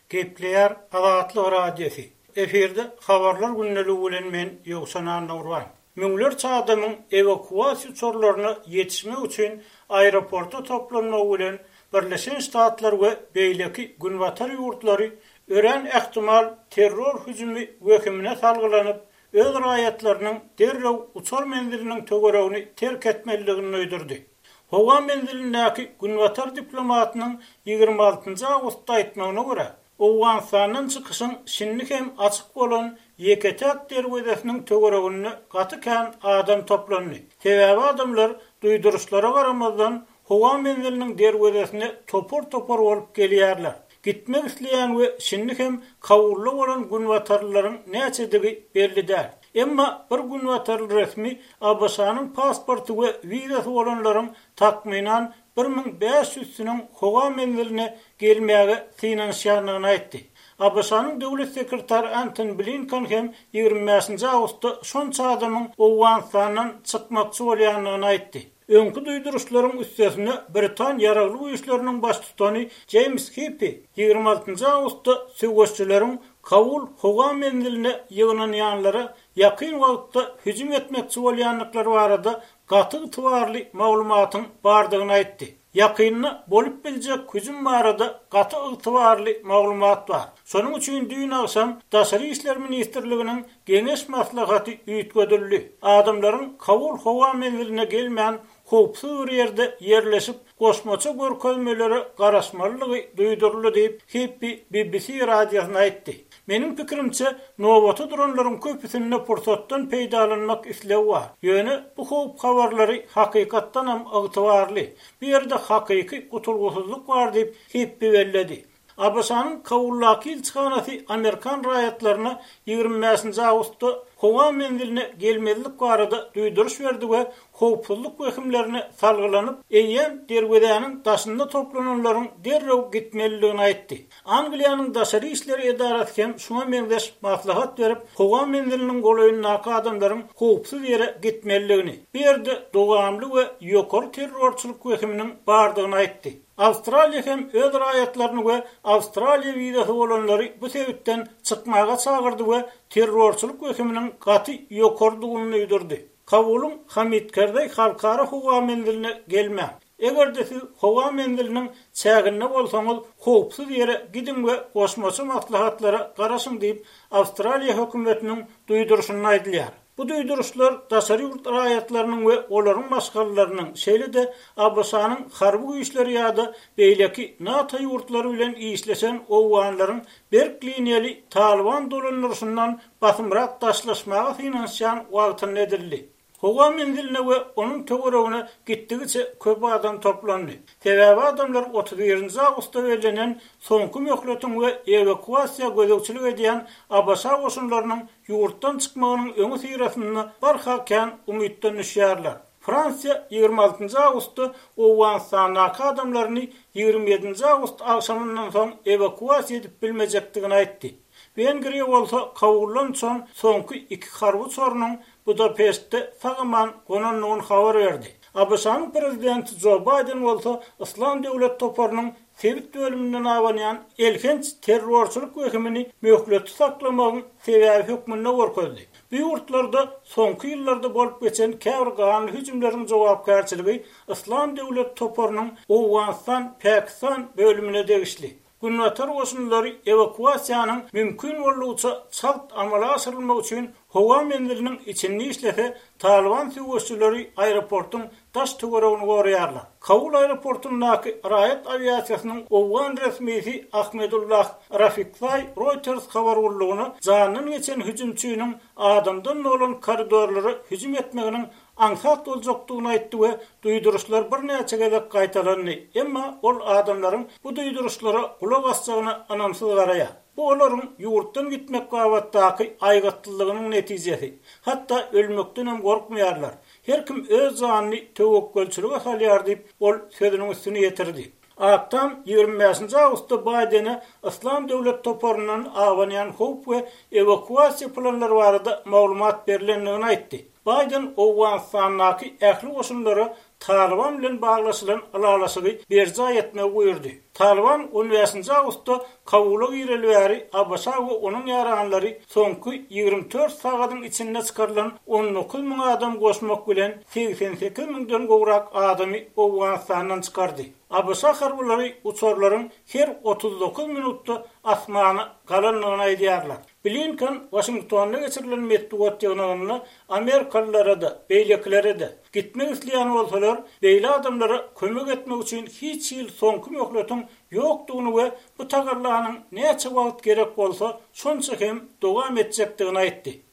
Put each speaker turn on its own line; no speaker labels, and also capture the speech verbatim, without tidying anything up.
Gepleýär Azatlyk Radiosy. Efirde Habarlar gündeligi bilen men Ýowşan Annagurban. Müňlerçe adamyň ewakuasiýa uçarlaryna ýetişmek üçin aeroporta toplanmagy bilen Birleşen Ştatlar we beýleki Günbatar ýurtlary örän ähtimal terror hüjümi wehimine salgylanyp, öz raýatlarynyň derrew uçar menziliniň töweregini terk etmelidigini duýdurdy. Howa menzilindäki Günbatar diplomatynyň ýigrimi altynjy awgustda aýtmagyna görä, Owganystandan çykyşyň şindi hem açyk bolan ýeke-täk derwezesiniň töwereginde gaty kän adam toplandy. Sebäbi adamlar duýduryşlara garamazdan howa menziliniň derwezesine topar-topar bolup gelýärler. Gitmek isleýän we şindi hem Kabulda bolan günbatarlylaryň näçedigi belli däl. Emma bir günbatarly resmi ABŞ-nyň pasporty we wizasy bolanlaryň takmynan bir müň bäş ýüzüsiniň howa menziline gelmäge synanyşýandygyny aýtdy. ABŞ-nyň döwlet sekretary Antony Blinken hem ýigrimi bäşinji awgustda şonça adamyň Owganystandan çykmakçy bolýandygyny aýtdy. Öňki duýduryşlaryň üstesine Britan ýaragly güýçleriniň baştutany Jeýms Hippi ýigrimi altynjy awgustda söweşçileriň Kabul howa menziline ýygnanýanlara ýakyn wagtda hüjüm etmekçi bolýandyklary barada gaty ygtybarly maglumatyň bardygyny aýtdy. Ýakynda bolup biljek hüjüm barada gaty ygtybarly maglumat bar. Şonuň üçin düýn agşam Daşary işler ministrliginiň geňeş maslahaty üýtgedildi. Adamlaryň Kabul howa menziline gelmän howpsuz bir ýerde ýerleşip, goşmaça görkezmelere garaşmalydygy duýduryldy diýip, Hippi B B C radiosyna aýtdy. Meniň pikirimçe, nobata duranlaryň köpüsinde pursatdan peýdalanmak islegi bar. Ýöne bu howp habarlary hakykatdanam ygtybarly. Bu ýerde hakyky gutulgysyzlyk bar diýip, Hippi belledi. ABŞ-nyň Kabuldaky ilçihanasy Amerikan raýatlaryna ýigrimi bäşinji awgustda howa menziline gelmezlik barada duýduryş berdi we howpsuzlyk wehimlerine salgylanyp, eýýäm derwezäniň daşynda toplananlaryň derrew gitmelidigini aýtdy. Angliýanyň daşary işler edarasy hem şuňa meňzeş maslahat berip, howa menziliniň golaýyndaky adamlaryň howpsuz ýere gitmelidigini, bu ýerde dowamly we ýokary terrorçylyk wehiminiň bardygyny aýtdy. Awstraliýa hem öz raýatlaryny we Awstraliýa wizasy bolanlary bu sebitden çykmaga çagyrdy we terrorçylyk wehiminiň gaty ýokarydygyny duýdurdy. Kabulyň Hamid Kerzeý halkara howa menziline gelmäň. Eger-de siz howa menziliniň çäginde bolsaňyz, howpsuz ýere gidiň we goşmaça maslahatlara garaşyň diýip, Awstraliýa hökümetiniň duýduryşynda aýdylýar. Bu duýduryşlar daşary ýurt raýatlarynyň we olaryň maşgalalarynyň, şeýle-de ABŞ-nyň harby güýçleri ýa-da beýleki NATO ýurtlary bilen işleşen owganlaryň berk liniýaly Talyban dolandyryşyndan basymrak daşlaşmaga synanyşýan wagtynda edildi. Howa menziline we onuň töweregine gitdigiçe köp adam toplandy. Sebäbi adamlar otuz birinji awgustda bellenen soňky möhletiň we ewakuasiýa gözegçilik edýän ABŞ goşunlarynyň ýurtdan çykmagynyň öňi syrasynda barha kän umytdan düşýärler. Fransiýa ýigrimi altynjy awgustda Owganystandaky adamlaryny ýigrimi ýedinji awgust agşamyndan soň ewakuasiýa edip bilmejekdigini aýtdy. Wengriýa bolsa Kabuldan uçan soňky iki harby uçarynyň Budapeştde sag-aman gonandygyny habar berdi. ABŞ-nyň prezidenti Jo Baýden bolsa Yslam döwlet toparynyň sebit bölüminden abanýan elhenç terrorçylyk wehimini möhleti saklamagyň sebäbi hökmünde görkezdi. Bu ýurtlarda soňky ýyllarda bolup geçen käbir ganly hüjümleriň jogapkärçiligi Yslam döwlet toparynyň Owganystan-Pakistan bölümine degişli. Günbatar goşunlary ewakuasiýanyň mümkin boldugyça çalt amala aşyrylmagy üçin howa menziliniň içinde işlese, Talyban söweşçileri aeroportuň daş töweregini goraýarlar. Kabul aeroportundaky raýat awiasiýasynyň owgan resmisi Ahmedullah Rafikzaý Reuters habar gullugyna jandan geçen hüjümçiniň adamdan dolan koridorlara hüjüm etmeginiň aňsat boljakdygyny aýtdy we duýduryşlar birnäçe gezek gaýtalandy. Emma ol adamlaryň bu duýduryşlara gulak asjagyna ynamsyz garaýar. Bu olaryň ýurtdan gitmek babatdaky aýgytlylygynyň netijesi. Hatda ölmekdenem gorkmaýarlar. Her kim öz janyny töwekgelçilige salýar diýip, ol sözüniň üstüni ýetirdi. Ak Tam ýigrimi bäşinji awgustda Baýdene Yslam döwlet toparyndan abanýan howp we ewakuasiýa planlary barada maglumat berilendigini aýtdy. Baýden Owganystandaky ähli goşunlara Talyban bilen baglaşylan ylalaşygy berjaý etmegi buýurdy. Talyban on bäşinji awgustda Kabula gireli bäri ABŞ we onuň ýaranlary soňky ýigrimi dört sagadyň içinde çykarylan on dokuz müň adam goşmak bilen segsen sekiz müňden gowrak adamy Owganystandan çykardy. ABŞ harbylary uçarlaryň her otuz dokuz minutda asmana galandygyny aýdýarlar. Blinken Waşingtonda geçirilen metbugat ýygnagynda amerikalylara-da, beýlekilere-de gitmek isleýän bolsalar, beýle adamlara kömek etmek üçin hiç hili soňky möhletiň ýokdugyny we bu tagallanyň näçe wagt gerek bolsa, şonça hem dowam etjekdigini aýtdy.